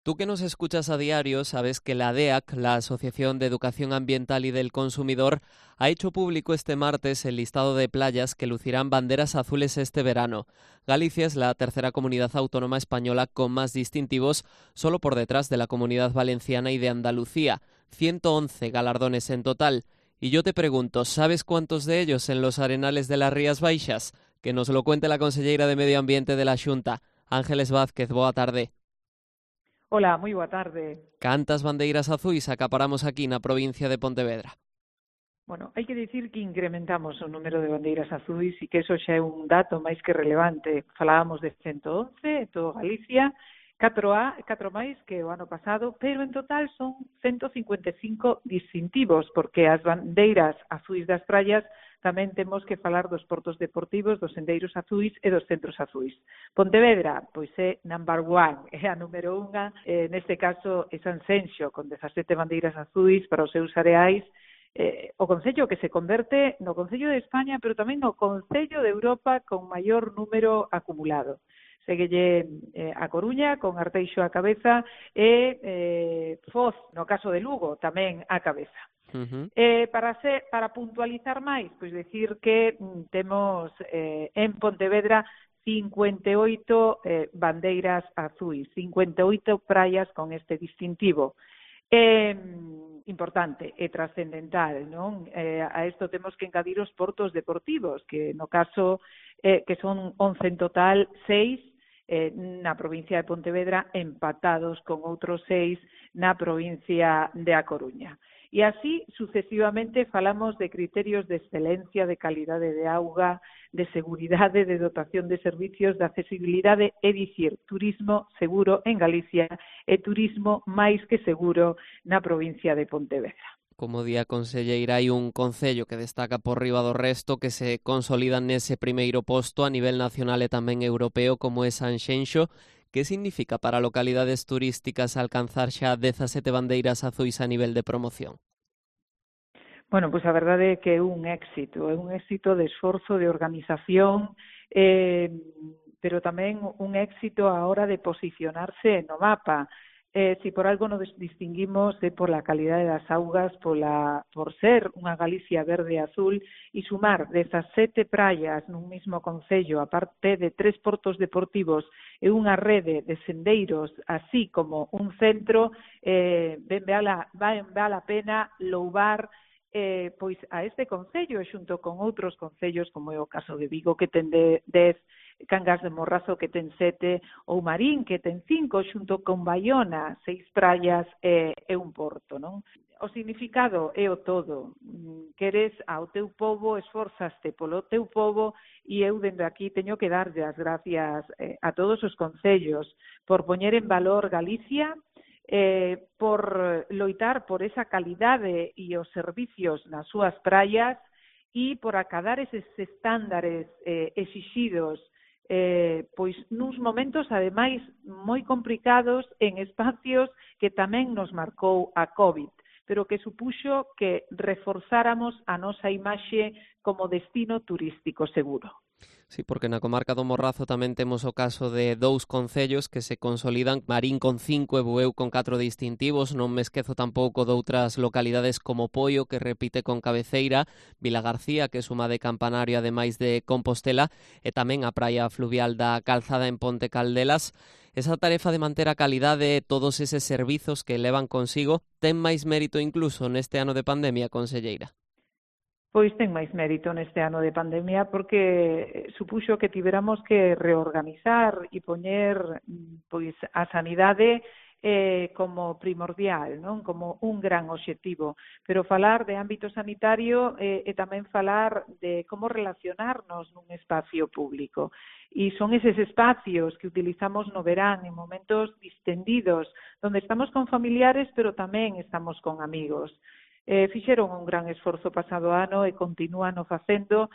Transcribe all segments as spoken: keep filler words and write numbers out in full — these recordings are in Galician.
Tú que nos escuchas a diario, sabes que la D E A C, la Asociación de Educación Ambiental y del Consumidor, ha hecho público este martes el listado de playas que lucirán banderas azules este verano. Galicia es la tercera comunidad autónoma española con más distintivos, solo por detrás de la Comunidad Valenciana y de Andalucía. ciento once galardones en total. Y yo te pregunto, ¿sabes cuántos de ellos en los arenales de las Rías Baixas? Que nos lo cuente la conselleira de Medio Ambiente de la Xunta, Ángeles Vázquez. Boa tarde. Ola, moi boa tarde. Cantas bandeiras azuis acaparamos aquí na provincia de Pontevedra? Bueno, hai que dicir que incrementamos o número de bandeiras azuis e que eso xa é un dato máis que relevante. Falábamos de ciento once en todo Galicia, catro a, catro máis que o ano pasado, pero en total son ciento cincuenta e cinco distintivos, porque as bandeiras azuis das praias tamén temos que falar dos portos deportivos, dos sendeiros azuis e dos centros azuis. Pontevedra, pois é number one, é a número unha, eh, neste caso é Sanxenxo, con dezasete bandeiras azuis para os seus areais, eh, o concello que se converte no Concello de España, pero tamén no Concello de Europa con maior número acumulado. Seguelle eh, a Coruña, con Arteixo á cabeza, e eh, Foz, no caso de Lugo, tamén á cabeza. Uh-huh. Eh, para ser, para puntualizar máis, pois decir que mm, temos eh, en Pontevedra cincuenta e oito eh, bandeiras azuis, cincuenta e oito praias con este distintivo. É eh, importante e trascendental, non? Eh, a isto temos que engadir os portos deportivos, que no caso eh, que son once en total, seis eh, na provincia de Pontevedra, empatados con outros seis na provincia de A Coruña. E así, sucesivamente, falamos de criterios de excelencia, de calidade de auga, de seguridade, de dotación de servicios, de accesibilidade, é dicir, turismo seguro en Galicia e turismo máis que seguro na provincia de Pontevedra. Como di a conselleira, hai un concello que destaca por riba do resto, que se consolida nese primeiro posto a nivel nacional e tamén europeo, como é Sanxenxo. Que significa para localidades turísticas alcanzar xa dezasete bandeiras azuis a nivel de promoción? Bueno, pois a verdade é que é un éxito, é un éxito de esforzo, de organización, eh, pero tamén un éxito a hora de posicionarse no mapa. Eh, si por algo nos distinguimos é por la calidade das augas, pola, por ser unha Galicia verde e azul, e sumar dezasete praias nun mismo concello, aparte de tres portos deportivos e unha rede de sendeiros, así como un centro, eh, ben vale, vale a pena louvar eh, pois a este concello, xunto con outros concellos, como é o caso de Vigo, que ten de dez, Cangas de Morrazo, que ten sete, ou Marín, que ten cinco, xunto con Baiona, seis praias e, e un porto, non? O significado é o todo. Queres ao teu pobo, esforzaste polo teu pobo, e eu dende aquí teño que darlle as gracias eh, a todos os concellos por poñer en valor Galicia, eh, por loitar por esa calidade e os servicios nas súas praias e por acadar eses estándares eh, exixidos Eh, pois nuns momentos, ademais, moi complicados en espacios que tamén nos marcou a COVID, pero que supuxo que reforzáramos a nosa imaxe como destino turístico seguro. Sí, porque na comarca do Morrazo tamén temos o caso de dous concellos que se consolidan, Marín con cinco e Bueu con catro distintivos. Non me esquezo tampouco de outras localidades como Poio, que repite con Cabeceira, Vilagarcía, que suma de Campanario ademais de Compostela, e tamén a praia fluvial da Calzada en Ponte Caldelas. Esa tarefa de manter a calidade e todos eses servizos que levan consigo ten máis mérito incluso neste ano de pandemia, conselleira? Pois ten máis mérito neste ano de pandemia porque supuxo que tiveramos que reorganizar e poñer pois a sanidade eh, como primordial, non? Como un gran obxectivo. Pero falar de ámbito sanitario eh, e tamén falar de como relacionarnos nun espacio público. E son eses espacios que utilizamos no verán en momentos distendidos, donde estamos con familiares, pero tamén estamos con amigos. Eh, fixeron un gran esforzo pasado ano e continúan o facendo.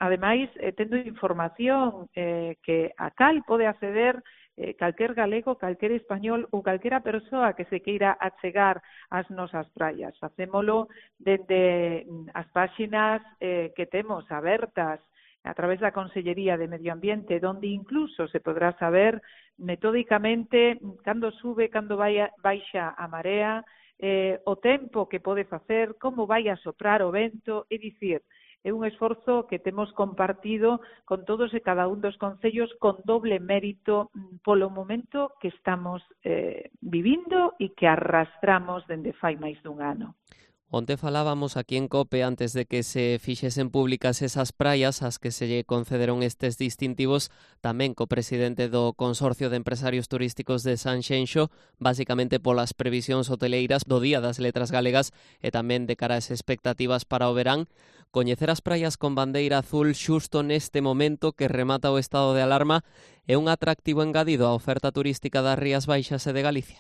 Ademais, eh, tendo información eh, que a cal pode acceder eh, calquer galego, calquer español ou calquera persoa que se queira achegar ás nosas praias. Facémolo dende as páxinas eh, que temos abertas a través da Consellería de Medio Ambiente, donde incluso se podrá saber metódicamente cando sube, cando vai a, baixa a marea, eh, o tempo que pode facer, como vai a soprar o vento, é dicir, é un esforzo que temos compartido con todos e cada un dos concellos con doble mérito polo momento que estamos eh, vivindo e que arrastramos dende fai máis dun ano. Onte falábamos aquí en COPE antes de que se fixesen públicas esas praias ás que se lle concederon estes distintivos tamén co presidente do Consorcio de Empresarios Turísticos de Sanxenxo, basicamente polas previsións hoteleiras do Día das Letras Galegas e tamén de cara ás expectativas para o verán. Coñecer as praias con bandeira azul xusto neste momento que remata o estado de alarma é un atractivo engadido á oferta turística das Rías Baixas e de Galicia.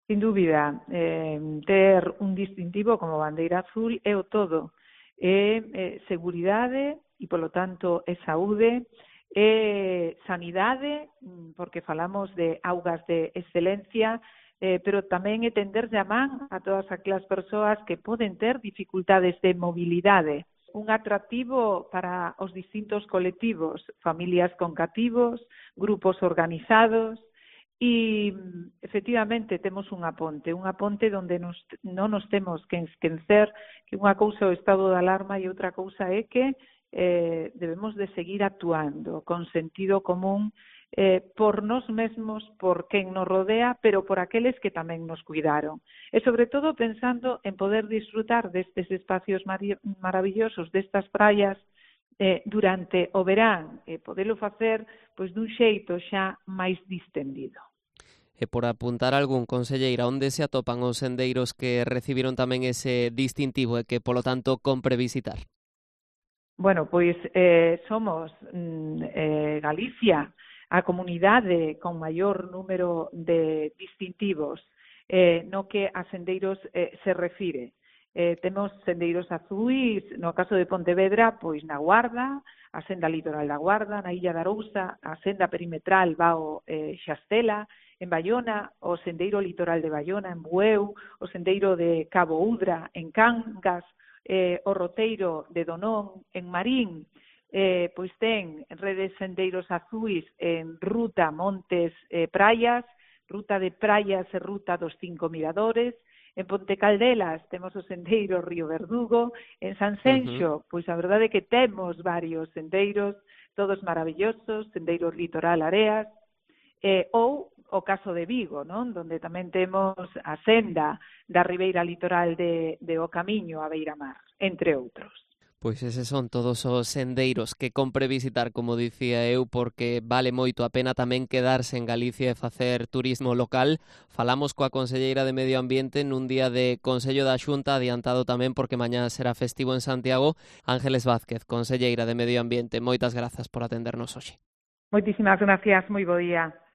Sin dúbida, eh, ter un distintivo como bandeira azul é o todo. É eh, seguridade e, polo tanto, é saúde, é sanidade, porque falamos de augas de excelencia, eh, pero tamén é tenderlle a man a todas aquelas persoas que poden ter dificultades de mobilidade. Un atractivo para os distintos colectivos, familias con cativos, grupos organizados. E, efectivamente, temos unha ponte, unha ponte onde nos, non nos temos que esquecer que unha cousa é o estado de alarma e outra cousa é que eh, debemos de seguir actuando con sentido común eh, por nós mesmos, por quen nos rodea, pero por aqueles que tamén nos cuidaron. E, sobre todo, pensando en poder disfrutar destes espacios maravillosos, destas praias, Eh, durante o verán, e eh, podelo facer pois dun xeito xa máis distendido. E por apuntar algún, conselleira, onde se atopan os sendeiros que recibiron tamén ese distintivo e que, polo tanto, compre visitar? Bueno, pois eh, somos mm, eh, Galicia, a comunidade con maior número de distintivos eh, no que a sendeiros eh, se refire. Eh, temos sendeiros azuis, no caso de Pontevedra, pois na Guarda, a senda litoral da Guarda, na Illa de Arousa, a senda perimetral Vao eh, Xastela, en Baiona, o sendeiro litoral de Baiona, en Bueu, o sendeiro de Cabo Udra, en Cangas, eh, o roteiro de Donón, en Marín, eh, pois ten redes sendeiros azuis en ruta Montes eh, Praias, ruta de Praias e ruta dos Cinco Miradores. En Ponte Caldelas temos o sendeiro Río Verdugo, en Sanxenxo, uh-huh. pois a verdade é que temos varios sendeiros, todos maravillosos, sendeiro litoral Areas, eh, ou o caso de Vigo, non? Donde tamén temos a senda da ribeira litoral de, de O Camiño a Beiramar, entre outros. Pois eses son todos os sendeiros que compre visitar, como dicía eu, porque vale moito a pena tamén quedarse en Galicia e facer turismo local. Falamos coa conselleira de Medio Ambiente nun día de Consello da Xunta, adiantado tamén porque mañá será festivo en Santiago. Ángeles Vázquez, conselleira de Medio Ambiente, moitas grazas por atendernos hoxe. Moitísimas gracias, moi bo día.